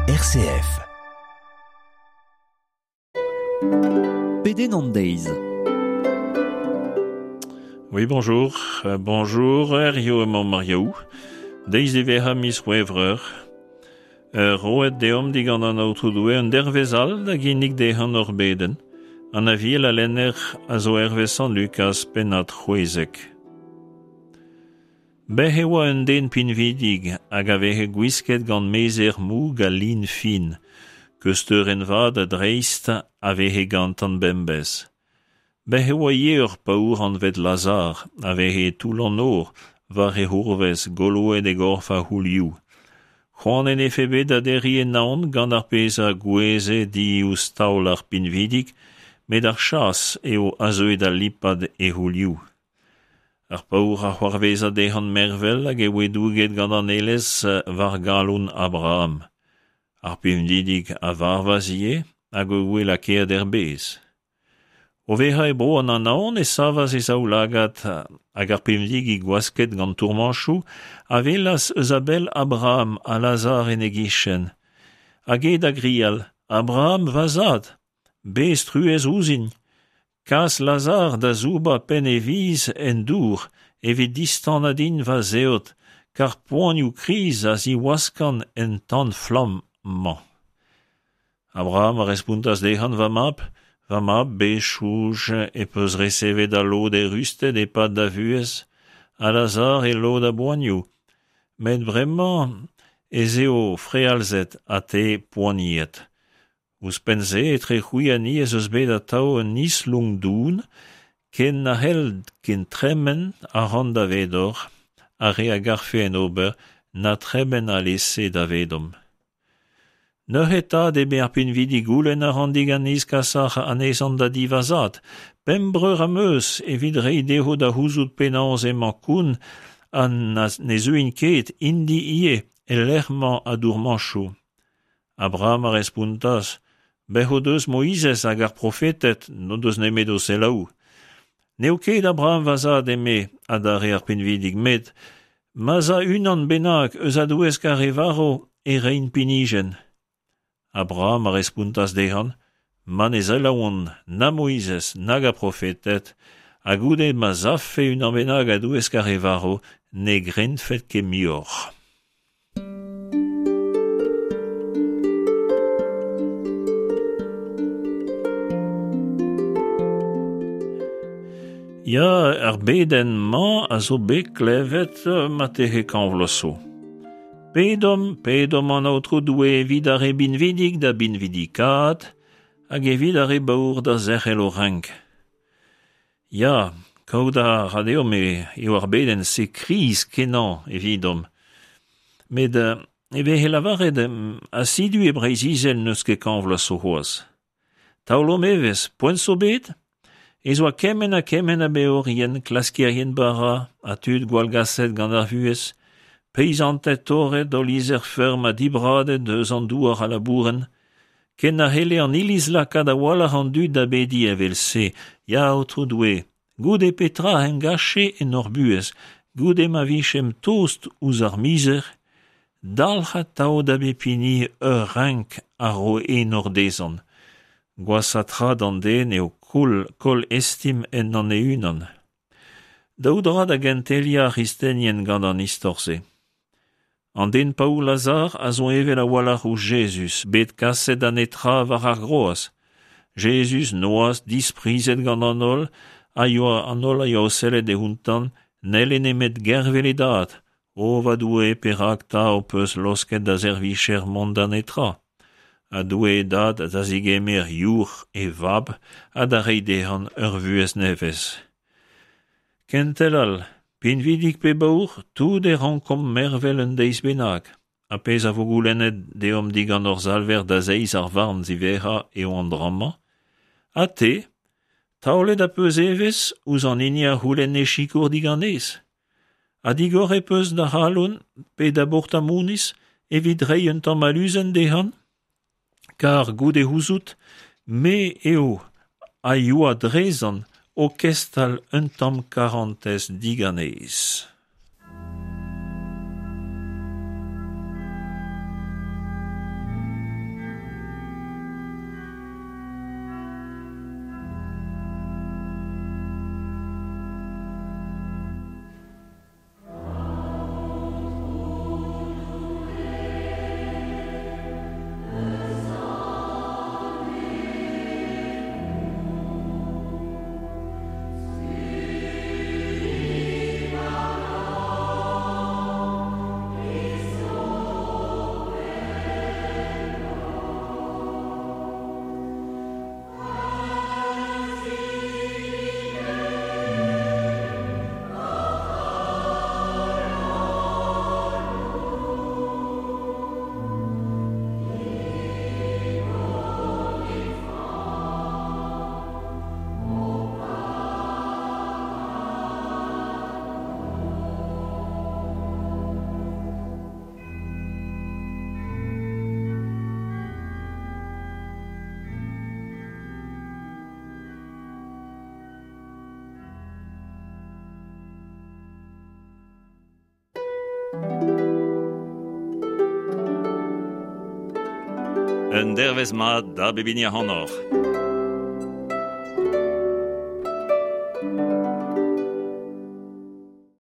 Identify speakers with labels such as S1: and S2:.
S1: RCF.
S2: Pedenn an deiz.
S3: Oui, bonjour. Euh, bonjour, Herrio emañ Mariaou. Deiz diwezhañ miz C'hwevrer. Euh, roet deomp digant an Aotrou Doue un dervezh all da ginnig dezhañ hor bedenn. An aviel a lenner a zo hervez Sant Lukaz pennad 16. Bez' e oa un den pinvidik hag a veze gwisket gant mezher moug ha lin fin. Keusteurenn vat a-dreist a veze gantañ bemdez. Bez' e oa ivez ur paour anvet Lazar a veze e toull an nor war e c'hourvez goloet e gorf a c'houlioù. C'hoant en defe bet da derriñ e naon gant ar pezh a gouezhe diouzh taol ar pinvidig met ar chas eo a zeue da lipat e c'houlioù. Ar paour a c'hoarvezas dezhañ mervel hag e voe douget gant an aelez war galon Abraham. Ar pinvidig a varvas ivez hag e voe lakaet er bez. O vezañ e bro an Anaon e savas e zaoulagad hag ar pinvidig gwasket gant tourmañchoù a welas eus a-bell Abraham ha Lazar en e gichen. Hag eo da grial, Abraham, va zad, bez truez ouzhin! Kas Lazar da soubañ penn e viz en dour evit distanañ din va zeod, kar poanioù kriz a ziwaskan en tan-flamm-mañ. Abraham a respontas dezhañ, Va mab, va mab, bez soñj e peus resevet al lod eürusted e-pad da vuhez, ha Lazar e lod a boanioù. Met bremañ ez eo frealzet ha te poaniet. Ouzhpenn-se, etre c'hwi ha ni ez eus bet atav un islonk don, ken na c'hell ken tremen ac'hann davedoc'h ar re a garfe en ober, na tremen alese davedomp. Neuze 'ta, eme ar pinvidig, goulenn a ran diganiz kas anezhañ da di va zad. Pemp breur am eus evit reiñ dezho da c'houzout penaos emañ koun ha ne zeuint ket, int-i ivez, el lec'h-mañ a dourmañchoù. Abraham a respontas, Bez' o deus Moizez hag ar profeted, n'o deus nemet o selaou. N'eo ket Abraham va zad, eme adarre ar pinvidig, met ma 'z a unan bennak eus a-douesk ar re varv e reint pinijenn. Abraham a respontas dezhañ, Ma ne selaouont na Moizez nag ar profeted, ha goude ma 'z afe unan bennak a-douesk ar re varv, ne grenfet ket muioc'h. Ya, ar bedenn-mañ a zo bet klevet marteze kañv vloaz zo. Pedomp, pedomp an Aotrou Doue evit ar re binvidik da binvidikaat hag evit ar re baour da zerc'hel o renk. Ya, kaout a ra deomp eo ar bedenn-se kriz-kenañ evidomp. Met e veze lavaret asidu e Breizh-Izel n'eus ket kañv vloaz zo c'hoazh. Taolomp evezh, poent zo bet ez oa kement ha kement a beorien, klaskerien bara ha tud gwallgaset gant ar vuhez, peizanted torret o lizher-feurm ha dibradet eus an douar a labourent, Ken na c'helle an Iliz lakaat a-walc'h an dud da bediñ evel-se, Ya Aotrou Doue, goude petra engache en hor buhez, goude ma vijemp tost ouzh ar mizer, dalc'h atav da bep hini ur renk a ro enor dezhañ. Gwashañ tra d'an den eo koll, koll estim ennañ e-unan. Daou dra da genteliañ ar c'hristenien gant an istor-se. An den paour Lazar a zo evel a-walc'h ouzh Jezuz, bet kaset da netra war ar groaz. Jezuz, noazh, disprizet gant an holl, a yoa an holl a yoa o sellet outañ, n'helle nemet gervel e dad. O va Doue, perak 'ta ho peus laosket da servijer mont da netra? Ha Doue e dad da zegemer youc'h e vab ha da reiñ dezhañ ur vuhez nevez. Kentel all, Pinvidik pe baour, tout e rankomp mervel un deiz bennak. Ha pezh a vo goulennet deomp digant hor Salver da zeiz ar varn ziwezhañ eo an dra-mañ. Ha te, taolet az peus evezh ouzh an hini a c'houlenne sikour diganez? Ha digor ez peus da c'halon pe da bourtamouniz evit reiñ un tamm aluzenn dezhañ? Kar goude gouzout, me eo a yoa drezan o kestal un tamm karantez diganez. Un dervezh mat da bep hini ac'hanoc'h.